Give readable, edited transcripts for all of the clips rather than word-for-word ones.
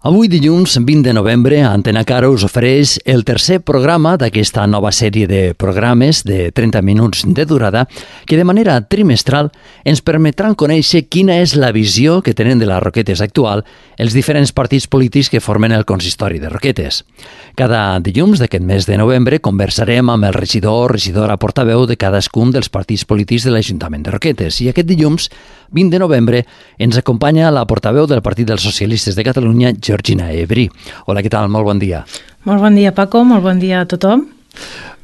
Avui dilluns 20 de novembre, Antena Caro us ofereix el tercer programa d'aquesta nova sèrie de programes de 30 minuts de durada que de manera trimestral ens permetran conèixer quina és la visió que tenen de les Roquetes actual els diferents partits polítics que formen el consistori de Roquetes. Cada dilluns d'aquest mes de novembre conversarem amb el regidor o regidora portaveu de cadascun dels partits polítics de l'Ajuntament de Roquetes i aquest dilluns 20 de novembre ens acompanya la portaveu del Partit dels Socialistes de Catalunya, Georgina Ebrey. Hola, què tal? Molt bon dia. Molt bon dia, Paco. Molt bon dia a tothom.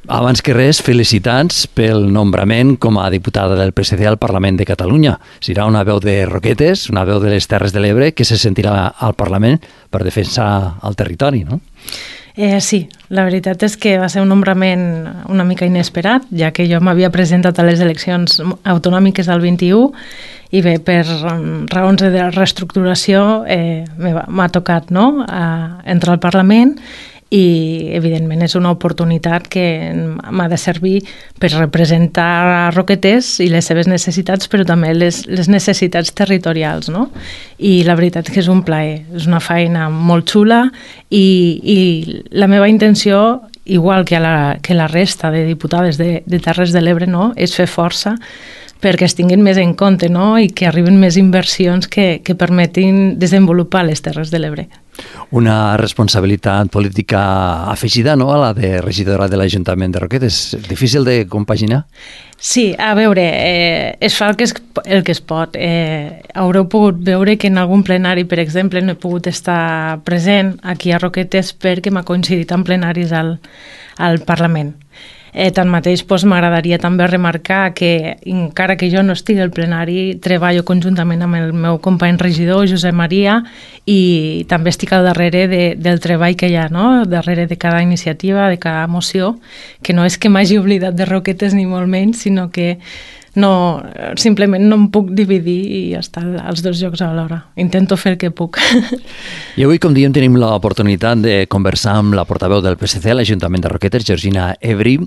Abans que res, felicitats pel nombrament com a diputada del PSC al Parlament de Catalunya. Serà una veu de Roquetes, una veu de les Terres de l'Ebre, que se sentirà al Parlament per defensar el territori, no? Sí, la veritat és que va ser un nombrament una mica inesperat, ja que jo m'havia presentat a les eleccions autonòmiques del 21 i bé, per raons de reestructuració m'ha tocat entrar al Parlament i evidentment és una oportunitat que m'ha de servir per representar a Roquetes i les seves necessitats, però també les necessitats territorials, no? I la veritat és que és un plaer, és una feina molt xula i la meva intenció, igual que la resta de diputades de Terres de l'Ebre, no? És fer força perquè es tinguin més en compte, no? I que arriben més inversions que permetin desenvolupar les Terres de l'Ebre. Una responsabilitat política afegida, no?, a la de regidora de l'Ajuntament de Roquetes. Difícil de compaginar? Sí, a veure, es fa el que es pot. Haureu pogut veure que en algun plenari, per exemple, no he pogut estar present aquí a Roquetes perquè m'ha coincidit en plenaris al Parlament. Tanmateix, m'agradaria també remarcar que, encara que jo no estigui al plenari, treballo conjuntament amb el meu company regidor, Josep Maria, i també estic al darrere del treball que hi ha, no? Darrere de cada iniciativa, de cada moció, que no és que m'hagi oblidat de Roquetes ni molt menys, sinó que simplement no em puc dividir i estar als dos llocs alhora. Intento fer el que puc. I avui, com diem, tenim l'oportunitat de conversar amb la portaveu del PSC a l'Ajuntament de Roquetes, Georgina Ebrey,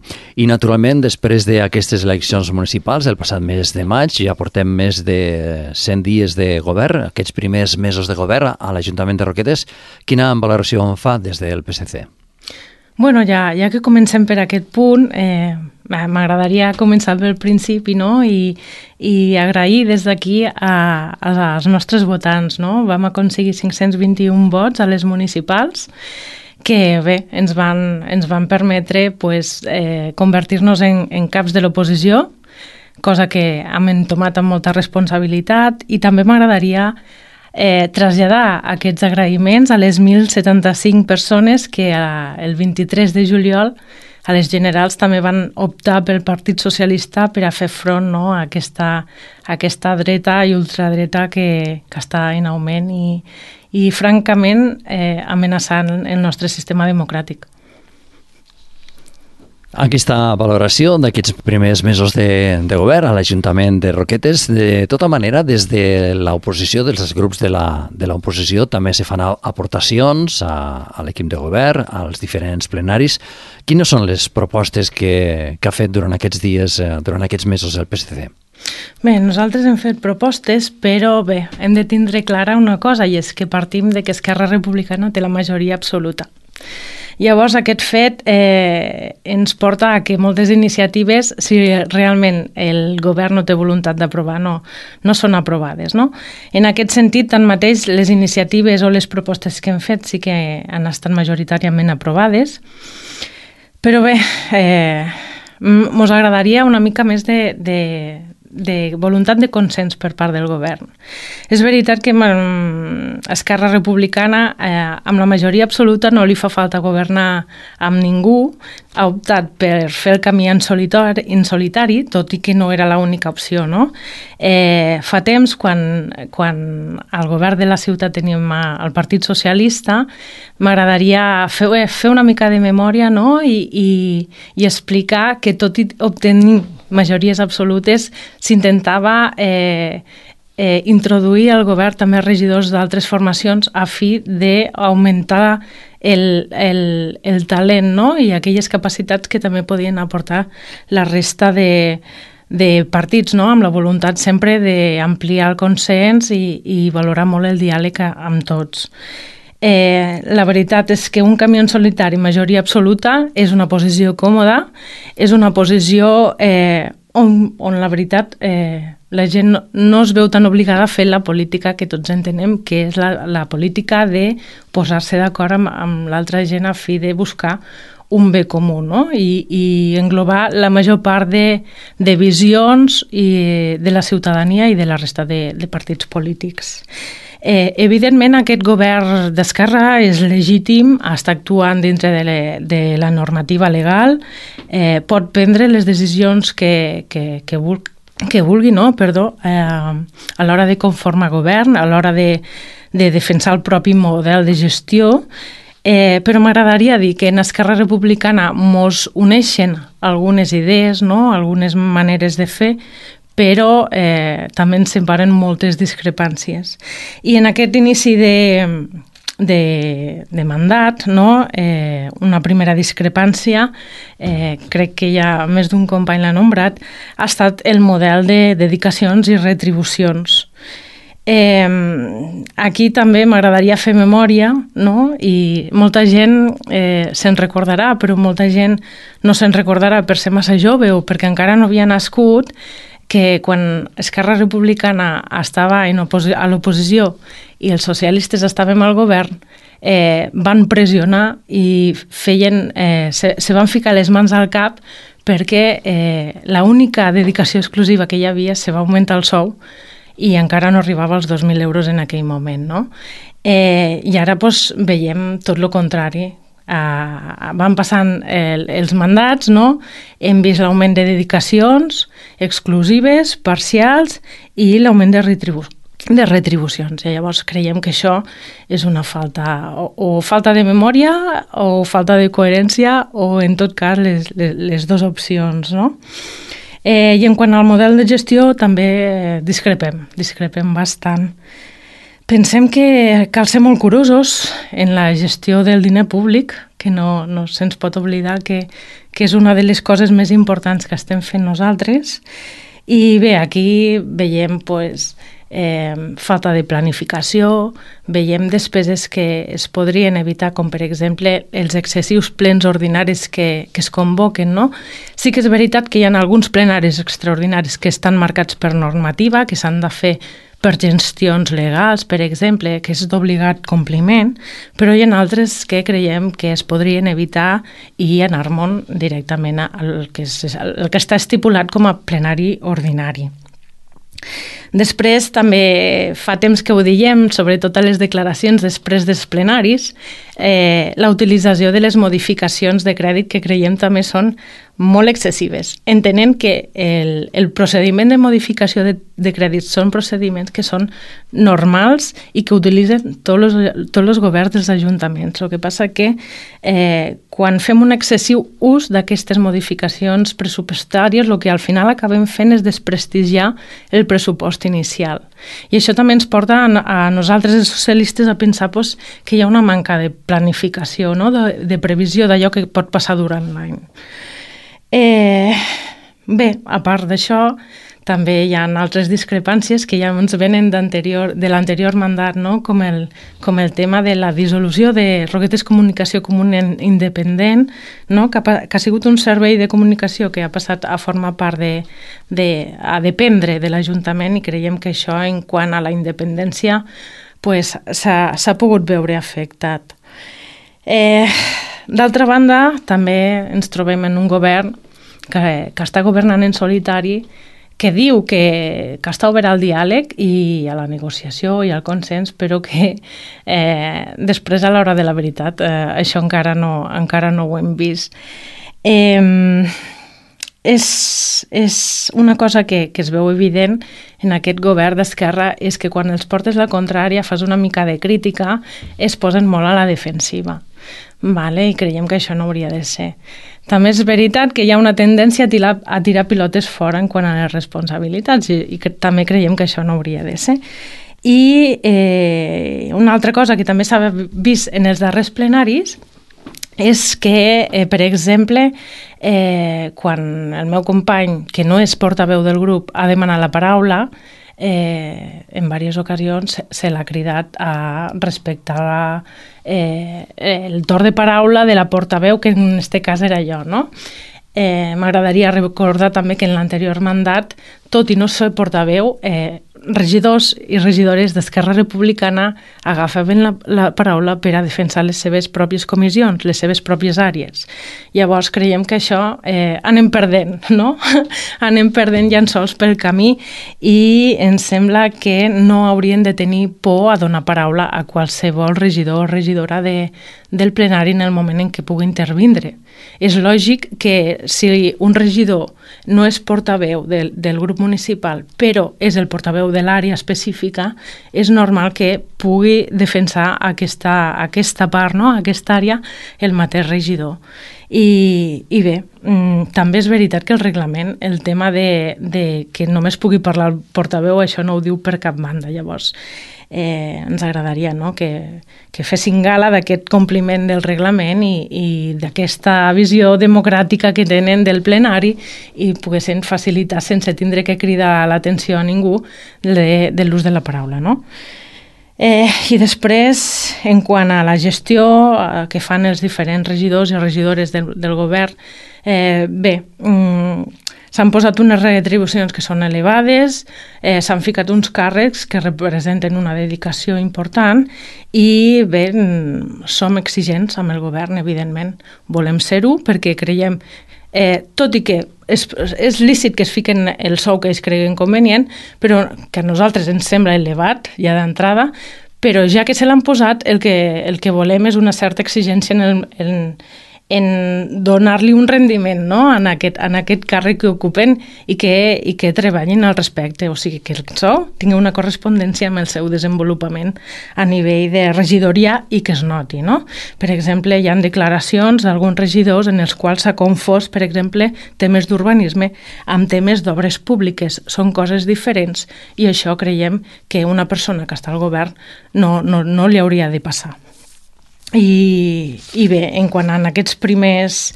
i naturalment, després d'aquestes eleccions municipals, el passat mes de maig, ja portem més de 100 dies de govern, aquests primers mesos de govern a l'Ajuntament de Roquetes. Quina valoració en fa des del PSC? Bueno, ja que comencem per aquest punt, m'agradaria començar pel principi, no? I agrair des d'aquí als nostres votants, no? Vam aconseguir 521 vots a les municipals que bé, ens van permetre convertir-nos en caps de l'oposició, cosa que hem entomat amb molta responsabilitat, i també m'agradaria traslladar aquests agraïments a les 1.075 persones que el 23 de juliol a les generals també van optar pel Partit Socialista per a fer front, no, a aquesta dreta i ultradreta que està en augment i francament amenaçant el nostre sistema democràtic. Aquesta valoració d'aquests primers mesos de govern a l'Ajuntament de Roquetes, de tota manera, des de l'oposició, dels grups de l'oposició, també se fan aportacions a l'equip de govern, als diferents plenaris. Quines són les propostes que ha fet durant aquests dies, durant aquests mesos el PSC? Bé, nosaltres hem fet propostes, però bé, hem de tindre clara una cosa, i és que partim de que Esquerra Republicana té la majoria absoluta. Llavors, aquest fet ens porta a que moltes iniciatives, si realment el govern no té voluntat d'aprovar, no són aprovades, no? En aquest sentit, tanmateix, les iniciatives o les propostes que hem fet sí que han estat majoritàriament aprovades, però bé, mos agradaria una mica més de voluntat de consens per part del govern. És veritat que Esquerra Republicana, amb la majoria absoluta, no li fa falta governar amb ningú, ha optat per fer el camí en solitari, tot i que no era l'única opció, no? Fa temps, quan al govern de la ciutat teníem el Partit Socialista, m'agradaria fer una mica de memòria, no? I explicar que tot i obtenir majories absolutes s'intentava introduir al govern també regidors d'altres formacions a fi d'augmentar el talent, no? I aquelles capacitats que també podien aportar la resta de partits, no? Amb la voluntat sempre d'ampliar el consens i valorar molt el diàleg amb tots. La veritat és que un camió en solitari, majoria absoluta, és una posició còmoda, és una posició on la veritat la gent no es veu tan obligada a fer la política que tots entenem, que és la política de posar-se d'acord amb l'altra gent a fi de buscar un bé comú, no? I englobar la major part de visions de la ciutadania i de la resta de partits polítics. Evidentment, aquest govern d'esquerra és legítim, està actuant dintre de la normativa legal, pot prendre les decisions que vulgui, no? A l'hora de conformar govern, a l'hora de defensar el propi model de gestió, però m'agradaria dir que en Esquerra Republicana mos uneixen algunes idees, no? Algunes maneres de fer, però també ens separen moltes discrepàncies. I en aquest inici de mandat, no? Una primera discrepància, crec que ja més d'un company l'ha nombrat, ha estat el model de dedicacions i retribucions. Aquí també m'agradaria fer memòria, no? I molta gent se'n recordarà, però molta gent no se'n recordarà per ser massa jove o perquè encara no havia nascut, que quan Esquerra Republicana estava a l'oposició i els socialistes estàvem al govern, van pressionar i se van ficar les mans al cap perquè l'única dedicació exclusiva que hi havia se va augmentar el sou i encara no arribava als 2.000 euros en aquell moment, no? I ara veiem tot el contrari. Van passant els mandats, no? Hem vist l'augment de dedicacions exclusives, parcials i l'augment de retribucions. I llavors creiem que això és una falta, o falta de memòria o falta de coherència o en tot cas les dues opcions, no? I en quant al model de gestió també discrepem bastant. Pensem que cal ser molt curosos en la gestió del diner públic, que no se'ns pot oblidar que és una de les coses més importants que estem fent nosaltres. I bé, aquí veiem falta de planificació, veiem despeses que es podrien evitar, com per exemple els excessius plens ordinaris que es convoquen, no? Sí que és veritat que hi ha alguns plenaris extraordinaris que estan marcats per normativa, que s'han de fer per gestions legals, per exemple, que és d'obligat compliment, però hi ha altres que creiem que es podrien evitar i anar-me'n directament al que està estipulat com a plenari ordinari. Després, també fa temps que ho diem, sobretot a les declaracions després dels plenaris, la utilització de les modificacions de crèdit que creiem també són molt excessives, entenent que el procediment de modificació de crèdits són procediments que són normals i que utilitzen tots els governs dels ajuntaments. El que passa que quan fem un excessiu ús d'aquestes modificacions pressupostàries, el que al final acabem fent és desprestigiar el pressupost inicial. I això també ens porta a nosaltres, els socialistes, a pensar que hi ha una manca de planificació, no? de previsió d'allò que pot passar durant l'any. Bé, a part d'això, també hi ha altres discrepàncies que ja ens venen de l'anterior mandat, no? com el tema de la dissolució de Roquetes Comunicació Comuna Independent, no? que ha sigut un servei de comunicació que ha passat a formar part a dependre de l'Ajuntament, i creiem que això, en quant a la independència, s'ha pogut veure afectat. D'altra banda, també ens trobem en un govern que està governant en solitari, que diu que està obert al diàleg i a la negociació i al consens, però que després, a l'hora de la veritat, això encara no ho hem vist. És una cosa que es veu evident en aquest govern d'esquerra, és que quan els portes la contrària, fas una mica de crítica, es posen molt a la defensiva. I creiem que això no hauria de ser. També és veritat que hi ha una tendència a tirar pilotes fora en quant a les responsabilitats i també creiem que això no hauria de ser. I una altra cosa que també s'ha vist en els darrers plenaris és que, per exemple, quan el meu company, que no és portaveu del grup, ha demanat la paraula, en diverses ocasions se l'ha cridat a respectar el torn de paraula de la portaveu, que en aquest cas era jo, no? M'agradaria recordar també que en l'anterior mandat, tot i no ser portaveu, regidors i regidores d'Esquerra Republicana agafaven la paraula per a defensar les seves pròpies comissions, les seves pròpies àrees. Llavors creiem que això anem perdent, no? Anem perdent llençols pel camí i ens sembla que no haurien de tenir por a donar paraula a qualsevol regidor o regidora del plenari en el moment en què pugui intervindre. És lògic que si un regidor no és portaveu del grup municipal, però és el portaveu de l'àrea específica, és normal que pugui defensar aquesta part, no? Aquesta àrea, el mateix regidor. I bé, també és veritat que el reglament, el tema de que només pugui parlar el portaveu, això no ho diu per cap banda. Llavors, ens agradaria, no? que fessin gala d'aquest compliment del reglament i d'aquesta visió democràtica que tenen del plenari i poguessin facilitar sense tindre que cridar l'atenció a ningú de l'ús de la paraula, no? I després, en quant a la gestió que fan els diferents regidors i regidores del govern, bé, s'han posat unes retribucions que són elevades, s'han ficat uns càrrecs que representen una dedicació important i bé, som exigents amb el govern, evidentment. Volem ser-ho perquè creiem, tot i que és lícit que es fiquen el sou que ells creguen convenient, però que a nosaltres ens sembla elevat ja d'entrada, però ja que se l'han posat, el que volem és una certa exigència en donar-li un rendiment, no? en aquest càrrec que ocupen i que treballin al respecte, o sigui, que el sou tingui una correspondència amb el seu desenvolupament a nivell de regidoria i que es noti, no? Per exemple, hi ha declaracions d'alguns regidors en els quals s'ha confós, per exemple, temes d'urbanisme amb temes d'obres públiques. Són coses diferents i això creiem que una persona que està al govern no li hauria de passar. I bé, en quant a aquests primers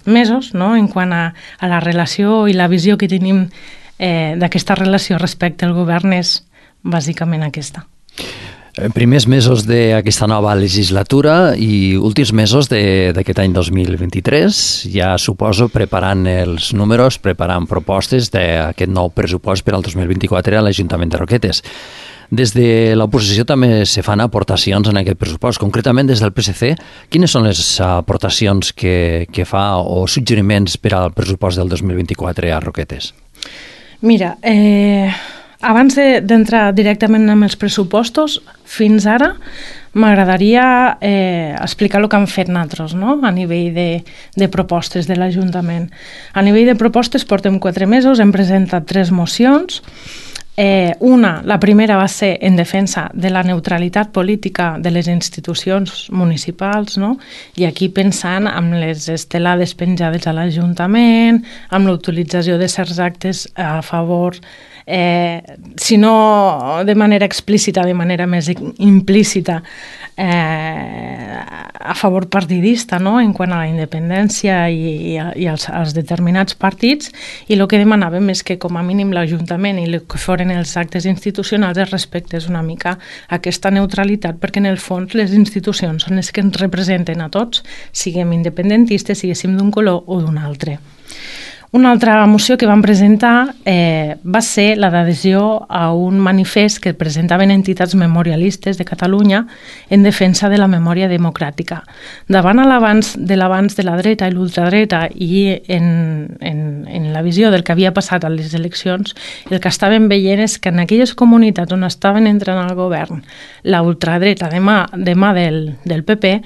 mesos, no? En quant a la relació i la visió que tenim d'aquesta relació respecte al govern és bàsicament aquesta. Primers mesos d'aquesta nova legislatura i últims mesos d'aquest any 2023, ja suposo preparant els números, preparant propostes d'aquest nou pressupost per al 2024 a l'Ajuntament de Roquetes. Des de l'oposició també se fan aportacions en aquest pressupost. Concretament, des del PSC, quines són les aportacions que fa o suggeriments per al pressupost del 2024 a Roquetes? Mira, abans d'entrar directament amb els pressupostos, fins ara m'agradaria explicar el que han fet nosaltres, no? A nivell de propostes de l'Ajuntament. A nivell de propostes portem 4 mesos, hem presentat 3 mocions. La primera va ser en defensa de la neutralitat política de les institucions municipals, no? I aquí pensant en les estelades penjades a l'Ajuntament, amb l'utilització de certs actes a favor, si no de manera explícita, de manera més implícita, a favor partidista, no? En quant a la independència i als determinats partits, i el que demanàvem és que com a mínim l'Ajuntament i el que foren els actes institucionals es respectés una mica aquesta neutralitat, perquè en el fons les institucions són les que ens representen a tots, siguem independentistes, siguéssim d'un color o d'un altre. Una altra moció que vam presentar va ser la d'adhesió a un manifest que presentaven entitats memorialistes de Catalunya en defensa de la memòria democràtica. Davant l'avanç de la dreta i l'ultradreta i en la visió del que havia passat a les eleccions, el que estàvem veient és que en aquelles comunitats on estaven entrant al govern la ultradreta de mà del PP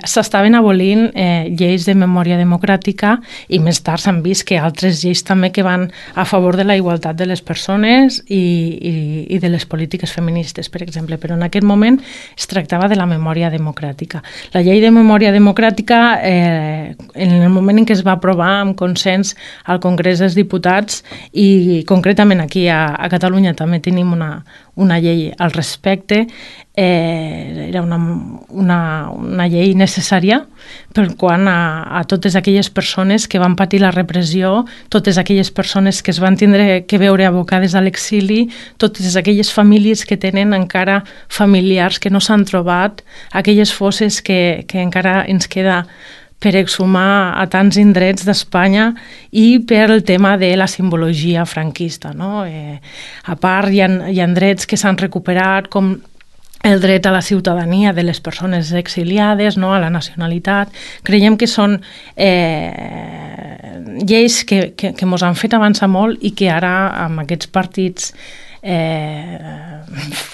s'estaven abolint lleis de memòria democràtica i més tard s'han vist que altres lleis també que van a favor de la igualtat de les persones i de les polítiques feministes, per exemple. Però en aquest moment es tractava de la memòria democràtica. La llei de memòria democràtica, en el moment en què es va aprovar amb consens al Congrés dels Diputats, i concretament aquí a Catalunya també tenim una llei al respecte, era una llei necessària per quant a totes aquelles persones que van patir la repressió, totes aquelles persones que es van tindre que veure abocades a l'exili, totes aquelles famílies que tenen encara familiars que no s'han trobat, aquelles fosses que encara ens queda per exhumar a tants indrets d'Espanya i per el tema de la simbologia franquista. No? A part, hi ha drets que s'han recuperat, com el dret a la ciutadania de les persones exiliades, no? A la nacionalitat. Creiem que són lleis que mos han fet avançar molt i que ara, amb aquests partits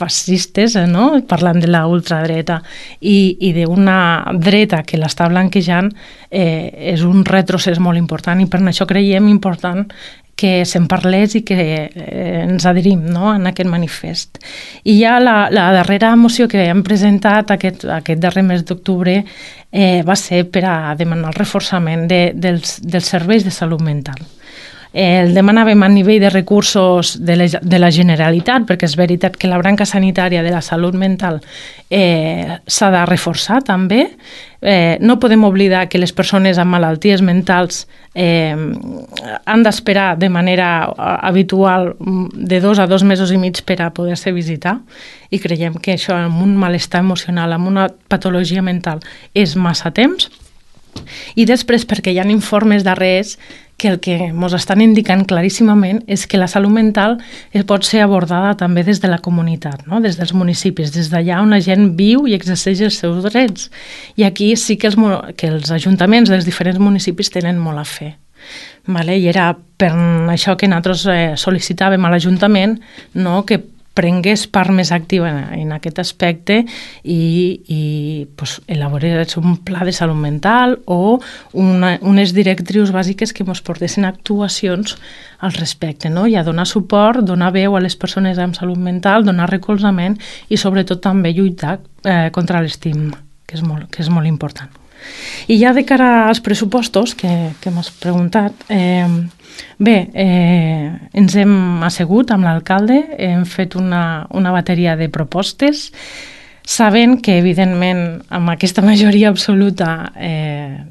fascistes, no? Parlant de la ultradreta i d'una dreta que l'està blanquejant, és un retrocés molt important i per això creiem important que se'n parlés i que ens adherim, no? En aquest manifest. I ja la darrera moció que hem presentat aquest darrer mes d'octubre va ser per a demanar el reforçament dels serveis de salut mental. El demanàvem a nivell de recursos de la Generalitat, perquè és veritat que la branca sanitària de la salut mental s'ha de reforçar també. No podem oblidar que les persones amb malalties mentals han d'esperar de manera habitual de 2 a 2 mesos i mig per a poder-se visitar i creiem que això amb un malestar emocional, amb una patologia mental, és massa temps. I després perquè hi ha informes darrers que el que ens estan indicant claríssimament és que la salut mental pot ser abordada també des de la comunitat, no? Des dels municipis, des d'allà on la gent viu i exerceix els seus drets. I aquí sí que els ajuntaments dels diferents municipis tenen molt a fer. Vale? I era per això que nosaltres sol·licitàvem a l'Ajuntament, no? Que prengués part més activa en aquest aspecte i pues, elaborés un pla de salut mental o unes directrius bàsiques que ens portessin actuacions al respecte, no? I a donar suport, donar veu a les persones amb salut mental, donar recolzament i sobretot també lluitar contra l'estigma, que és molt important. I ja de cara als pressupostos que m'has preguntat, ens hem assegut amb l'alcalde, hem fet una bateria de propostes, sabent que, evidentment, amb aquesta majoria absoluta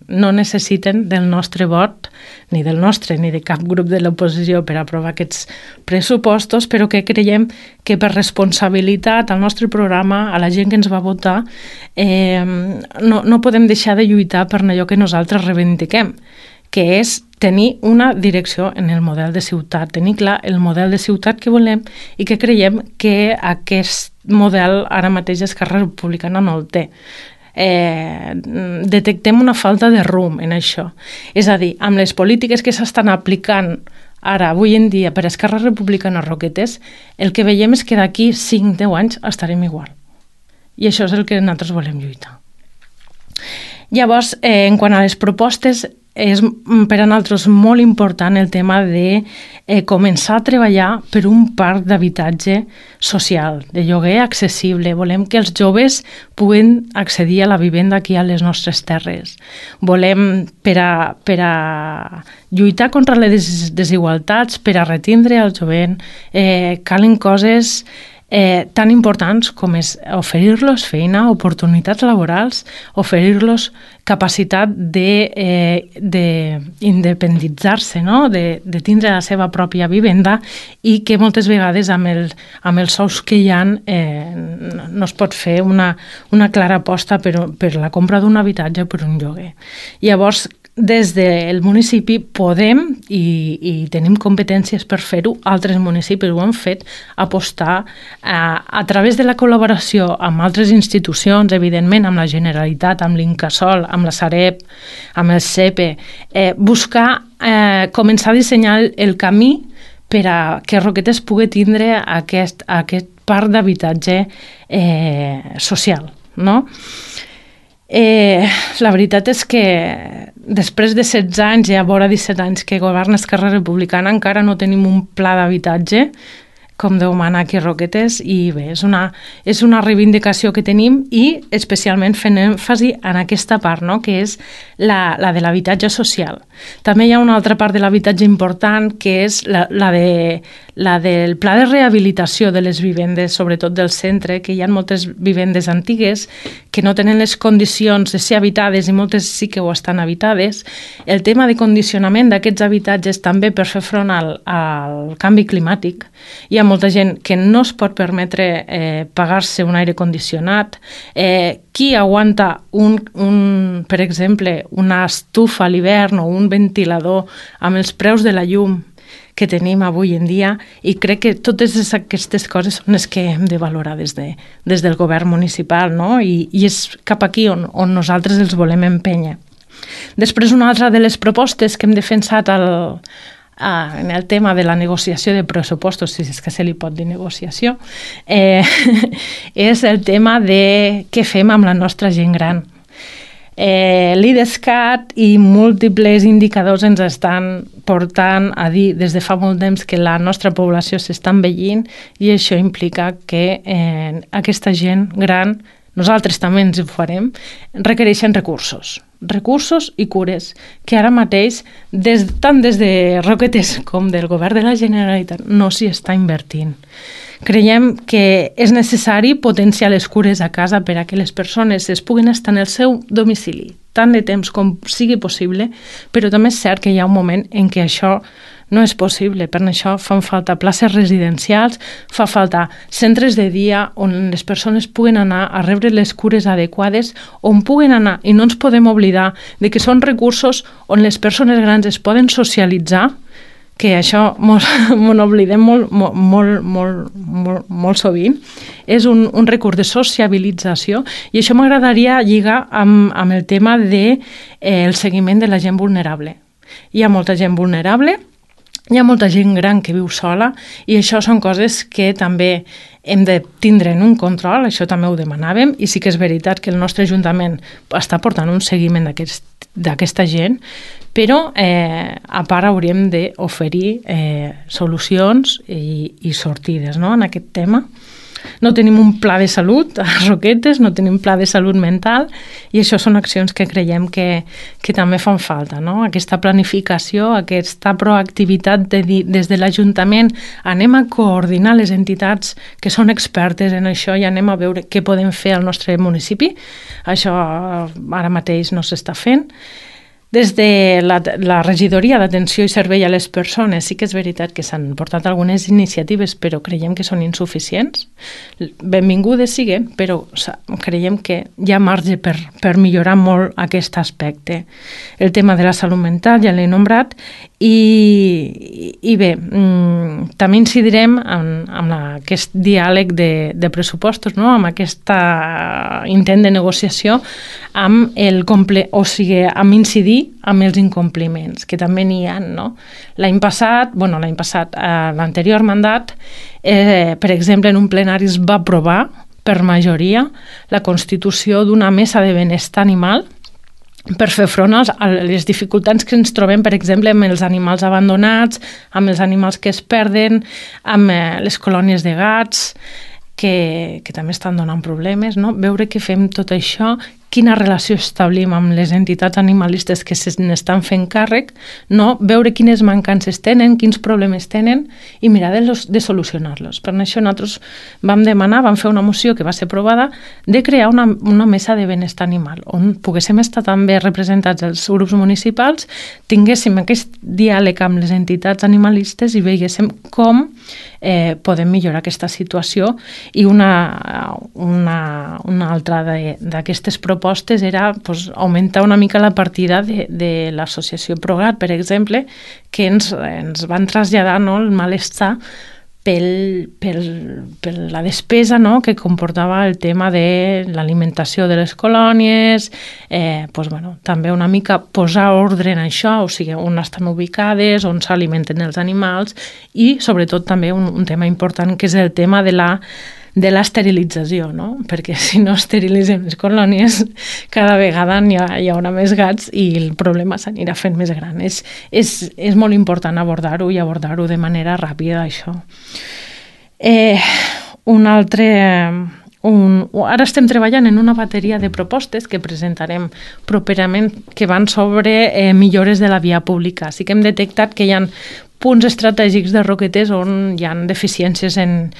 no necessiten del nostre vot, ni del nostre ni de cap grup de l'oposició per aprovar aquests pressupostos, però que creiem que per responsabilitat al nostre programa, a la gent que ens va votar, no podem deixar de lluitar per allò que nosaltres reivindiquem, que és tenir una direcció en el model de ciutat, tenir clar el model de ciutat que volem i que creiem que aquest model ara mateix Esquerra Republicana no el té. Detectem una falta de rumb en això. És a dir, amb les polítiques que s'estan aplicant ara, avui en dia, per Esquerra Republicana Roquetes, el que veiem és que d'aquí 5-10 anys estarem igual. I això és el que nosaltres volem lluitar. Llavors, en quant a les propostes, és per a nosaltres molt important el tema de començar a treballar per un parc d'habitatge social, de lloguer accessible. Volem que els joves puguen accedir a la vivenda aquí a les nostres terres. Volem, per a lluitar contra les desigualtats, per a retindre el jovent, calen coses tan importants com és oferir-los feina, oportunitats laborals, oferir-los capacitat d'independitzar-se, no? de tindre la seva pròpia vivenda i que moltes vegades amb els sous que hi ha no es pot fer una clara aposta per la compra d'un habitatge o per un lloguer. Llavors, des del municipi podem i tenim competències per fer-ho, altres municipis ho han fet, apostar a través de la col·laboració amb altres institucions, evidentment amb la Generalitat, amb l'Incasòl, amb la Sareb, amb el CEPE, buscar, començar a dissenyar el camí per a que Roquetes pugui tindre aquest parc d'habitatge social, no? La veritat és que després de 16 anys i a vora 17 anys que governa Esquerra Republicana encara no tenim un pla d'habitatge com Déu mana aquí a Roquetes, i bé, és una reivindicació que tenim i especialment fent èmfasi en aquesta part, no? Que és la de l'habitatge social. També hi ha una altra part de l'habitatge important que és la del pla de rehabilitació de les vivendes, sobretot del centre, que hi ha moltes vivendes antigues que no tenen les condicions de ser habitades i moltes sí que ho estan habitades. El tema de condicionament d'aquests habitatges també per fer front al canvi climàtic. Hi ha molta gent que no es pot permetre pagar-se un aire condicionat. Qui aguanta, per exemple, una estufa a l'hivern o un ventilador amb els preus de la llum que tenim avui en dia, i crec que totes aquestes coses són les que hem de valorar des del govern municipal, no? I és cap aquí on nosaltres els volem empènyer. Després, una altra de les propostes que hem defensat en el tema de la negociació de pressupostos, si és que se li pot dir negociació, és el tema de què fem amb la nostra gent gran. L'IDESCAT i múltiples indicadors ens estan portant a dir des de fa molt temps que la nostra població s'està envellint, i això implica que aquesta gent gran, nosaltres també ens ho farem, requereixen recursos i cures, que ara mateix, tant des de Roquetes com del govern de la Generalitat, no s'hi està invertint. Creiem que és necessari potenciar les cures a casa per a que les persones es puguin estar en el seu domicili tant de temps com sigui possible, però també és cert que hi ha un moment en què això no és possible. Per això fan falta places residencials, fa falta centres de dia on les persones puguen anar a rebre les cures adequades, on puguen anar, i no ens podem oblidar de que són recursos on les persones grans es poden socialitzar, que això m'ho oblidem molt sovint, és un recurs de sociabilització, i això m'agradaria lligar amb el tema del seguiment de la gent vulnerable. Hi ha molta gent vulnerable, hi ha molta gent gran que viu sola, i això són coses que també hem de tindre en un control, això també ho demanàvem, i sí que és veritat que el nostre Ajuntament està portant un seguiment d'aquesta gent, però a part hauríem d'oferir solucions i sortides, no?, en aquest tema. No tenim un pla de salut a Roquetes, no tenim pla de salut mental, i això són accions que creiem que també fan falta, no? Aquesta planificació, aquesta proactivitat de dir des de l'Ajuntament anem a coordinar les entitats que són expertes en això i anem a veure què podem fer al nostre municipi. Això ara mateix no s'està fent. Des de la regidoria d'Atenció i Servei a les Persones sí que és veritat que s'han portat algunes iniciatives, però creiem que són insuficients. Benvingudes siguen, però creiem que hi ha marge per millorar molt aquest aspecte. El tema de la salut mental ja l'he nombrat, i bé, també incidirem en aquest diàleg de pressupostos, no?, amb aquest intent de negociació, amb incidir amb els incompliments, que també n'hi ha, no? L'any passat, l'anterior mandat, per exemple, en un plenari es va aprovar per majoria la constitució d'una mesa de benestar animal per fer front a les dificultats que ens trobem, per exemple, amb els animals abandonats, amb els animals que es perden, amb les colònies de gats, que també estan donant problemes, no? Veure què fem tot això, quina relació establim amb les entitats animalistes que se n'estan fent càrrec, no? Veure quines mancances tenen, quins problemes tenen, i mirar de solucionar-los. Per això nosaltres vam fer una moció que va ser aprovada de crear una mesa de benestar animal, on poguéssim estar també representats els grups municipals, tinguéssim aquest diàleg amb les entitats animalistes i veiéssim com podem millorar aquesta situació. I una altra d'aquestes propostes era augmentar una mica la partida de l'associació Progat, per exemple, que ens van traslladar el malestar per la despesa que comportava el tema de l'alimentació de les colònies, també una mica posar ordre en això, o sigui, on estan ubicades, on s'alimenten els animals, i sobretot també un tema important que és el tema de l'esterilització, no? Perquè si no esterilitzem les colònies, cada vegada hi haurà més gats i el problema s'anirà fent més gran. És molt important abordar-ho i abordar-ho de manera ràpida, això. Un altre... Ara estem treballant en una bateria de propostes que presentarem properament que van sobre millores de la via pública. Sí que hem detectat que hi ha punts estratègics de Roquetes on hi ha deficiències en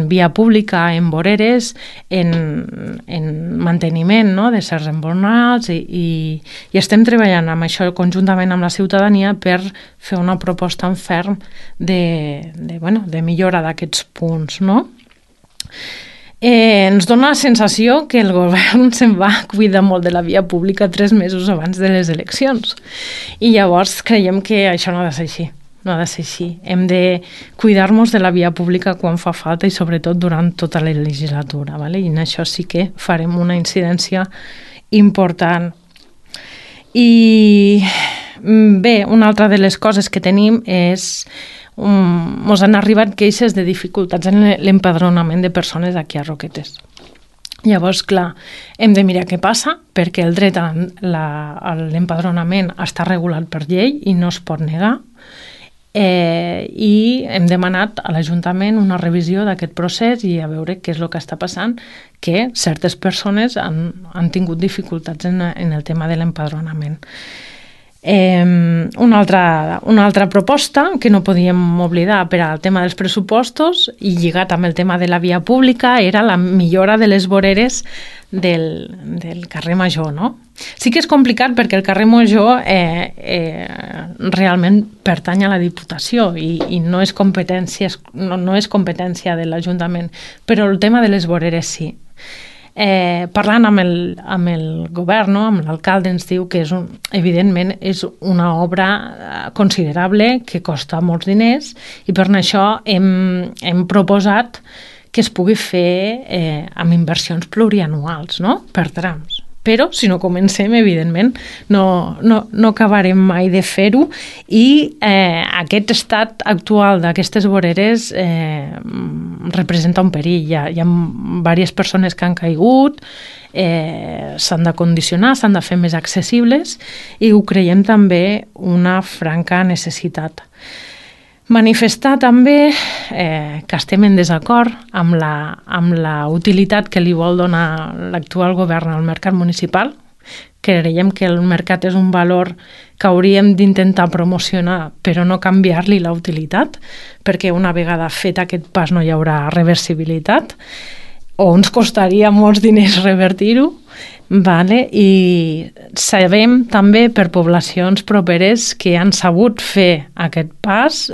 via pública, en voreres, en manteniment, no?, de certs embornals i estem treballant amb això conjuntament amb la ciutadania per fer una proposta en ferm de millora d'aquests punts, no? Ens dona la sensació que el govern se'n va cuidar molt de la via pública 3 mesos abans de les eleccions i llavors creiem que això no ha de ser així. No ha de ser així. Hem de cuidar-nos de la via pública quan fa falta i sobretot durant tota la legislatura, ¿vale? I en això sí que farem una incidència important. I bé, una altra de les coses que tenim és mos han arribat queixes de dificultats en l'empadronament de persones aquí a Roquetes. Llavors, clar, hem de mirar què passa perquè el dret a l'empadronament està regulat per llei i no es pot negar. I hem demanat a l'Ajuntament una revisió d'aquest procés i a veure què és el que està passant, que certes persones han tingut dificultats en el tema de l'empadronament. Una altra proposta que no podíem oblidar per al tema dels pressupostos i lligat amb el tema de la via pública era la millora de les voreres del carrer Major, no? Sí que és complicat perquè el carrer Major realment pertany a la Diputació i no és competència de l'Ajuntament, però el tema de les voreres sí. Parlant amb el govern, no? Amb l'alcalde, ens diu que evidentment és una obra considerable que costa molts diners i per això hem proposat que es pugui fer amb inversions plurianuals, no? Per trams. Però si no comencem, evidentment, no acabarem mai de fer-ho i aquest estat actual d'aquestes voreres representa un perill. Hi ha diverses persones que han caigut, s'han de condicionar, s'han de fer més accessibles i ho creiem també una franca necessitat. Manifestar també que estem en desacord amb la utilitat que li vol donar l'actual govern al mercat municipal. Creiem que el mercat és un valor que hauríem d'intentar promocionar però no canviar-li la utilitat, perquè una vegada fet aquest pas no hi haurà reversibilitat o ens costaria molts diners revertir-ho. Vale? I sabem també per poblacions properes que han sabut fer aquest pas,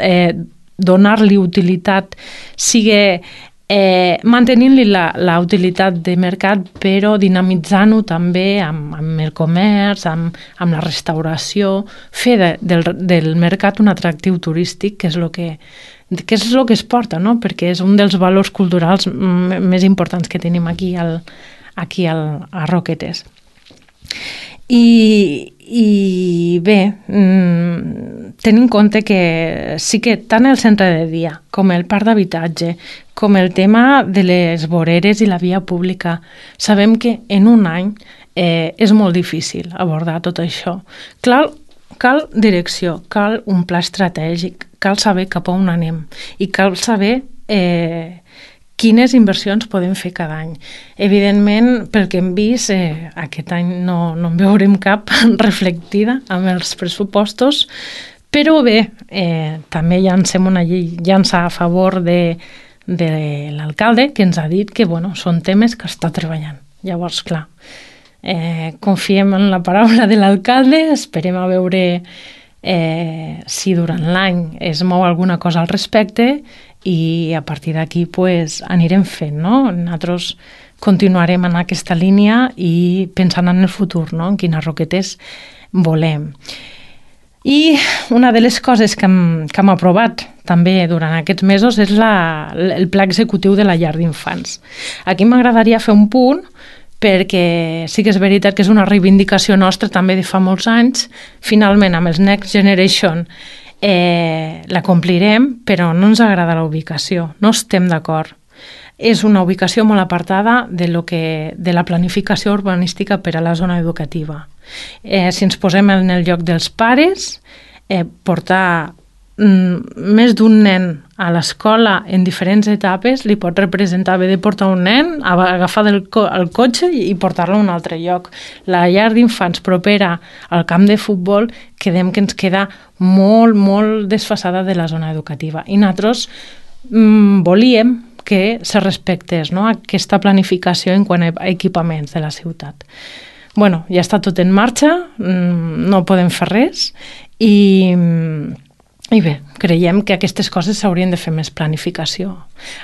donar-li utilitat, sigui mantenint-li la utilitat de mercat, però dinamitzant-ho també amb el comerç, amb la restauració, fer del mercat un atractiu turístic, que és el que es porta, no? Perquè és un dels valors culturals més importants que tenim aquí a Roquetes. I bé, tenint en compte que sí que tant el centre de dia com el parc d'habitatge, com el tema de les voreres i la via pública, sabem que en un any és molt difícil abordar tot això. Cal direcció, cal un pla estratègic, cal saber cap a on anem i cal saber quines inversions podem fer cada any. Evidentment, pel que hem vist, aquest any no en veurem cap reflectida amb els pressupostos, però bé, també llancem una llança a favor de l'alcalde, que ens ha dit que són temes que està treballant. Llavors, clar, confiem en la paraula de l'alcalde, esperem a veure si durant l'any es mou alguna cosa al respecte i a partir d'aquí anirem fent, no? Nosaltres continuarem en aquesta línia i pensant en el futur, no? En quines Roquetes volem. I una de les coses que hem aprovat també durant aquests mesos és el pla executiu de la llar d'infants. Aquí m'agradaria fer un punt perquè sí que és veritat que és una reivindicació nostra també de fa molts anys. Finalment, amb els Next Generation la complirem, però no ens agrada la ubicació, no estem d'acord. És una ubicació molt apartada de la planificació urbanística per a la zona educativa. Si ens posem en el lloc dels pares, portar més d'un nen a l'escola en diferents etapes li pot representar haver de portar un nen, agafar el cotxe i portar-lo a un altre lloc. La llar d'infants propera al camp de futbol que ens queda molt, molt desfasada de la zona educativa. I nosaltres volíem que se respectés, no?, aquesta planificació en quant a equipaments de la ciutat. Bueno, ja està tot en marxa, no podem fer res i bé, creiem que aquestes coses s'haurien de fer més planificació.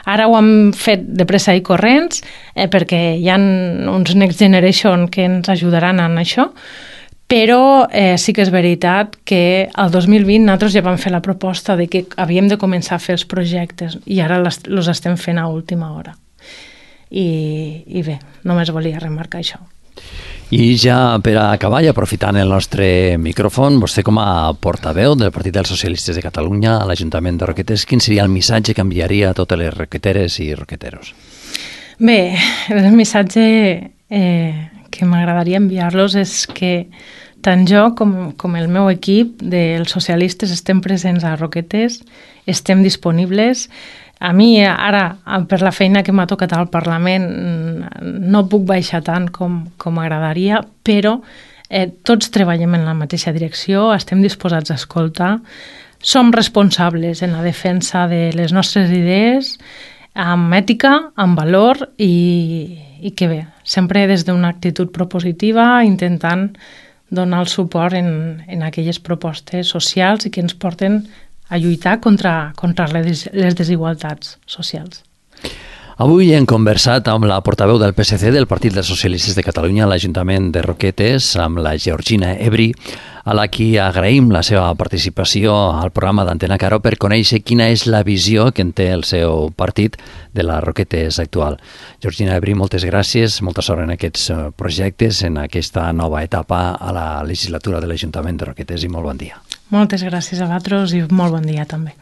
Ara ho hem fet de pressa i corrents perquè hi ha uns Next Generation que ens ajudaran en això, però sí que és veritat que el 2020 nosaltres ja vam fer la proposta de que havíem de començar a fer els projectes i ara els estem fent a última hora. I bé, només volia remarcar això. I ja per acabar, i aprofitant el nostre micròfon, vostè com a portaveu del Partit dels Socialistes de Catalunya a l'Ajuntament de Roquetes, quin seria el missatge que enviaria a totes les roqueteres i roqueteros? Bé, el missatge que m'agradaria enviar-los és que tant jo com el meu equip dels socialistes estem presents a Roquetes, estem disponibles. A mi ara, per la feina que m'ha tocat al Parlament, no puc baixar tant com m'agradaria, però tots treballem en la mateixa direcció, estem disposats a escoltar, som responsables en la defensa de les nostres idees, amb ètica, amb valor i que bé, sempre des d'una actitud propositiva, intentant donar el suport en aquelles propostes socials i que ens porten a lluitar contra les desigualtats socials. Avui hem conversat amb la portaveu del PSC del Partit dels Socialistes de Catalunya a l'Ajuntament de Roquetes, amb la Georgina Ebri, a la qui agraïm la seva participació al programa d'Antena Caro per conèixer quina és la visió que en té el seu partit de la Roquetes actual. Georgina Ebri, moltes gràcies, molta sort en aquests projectes, en aquesta nova etapa a la legislatura de l'Ajuntament de Roquetes i molt bon dia. Moltes gràcies a vosaltres i molt bon dia també.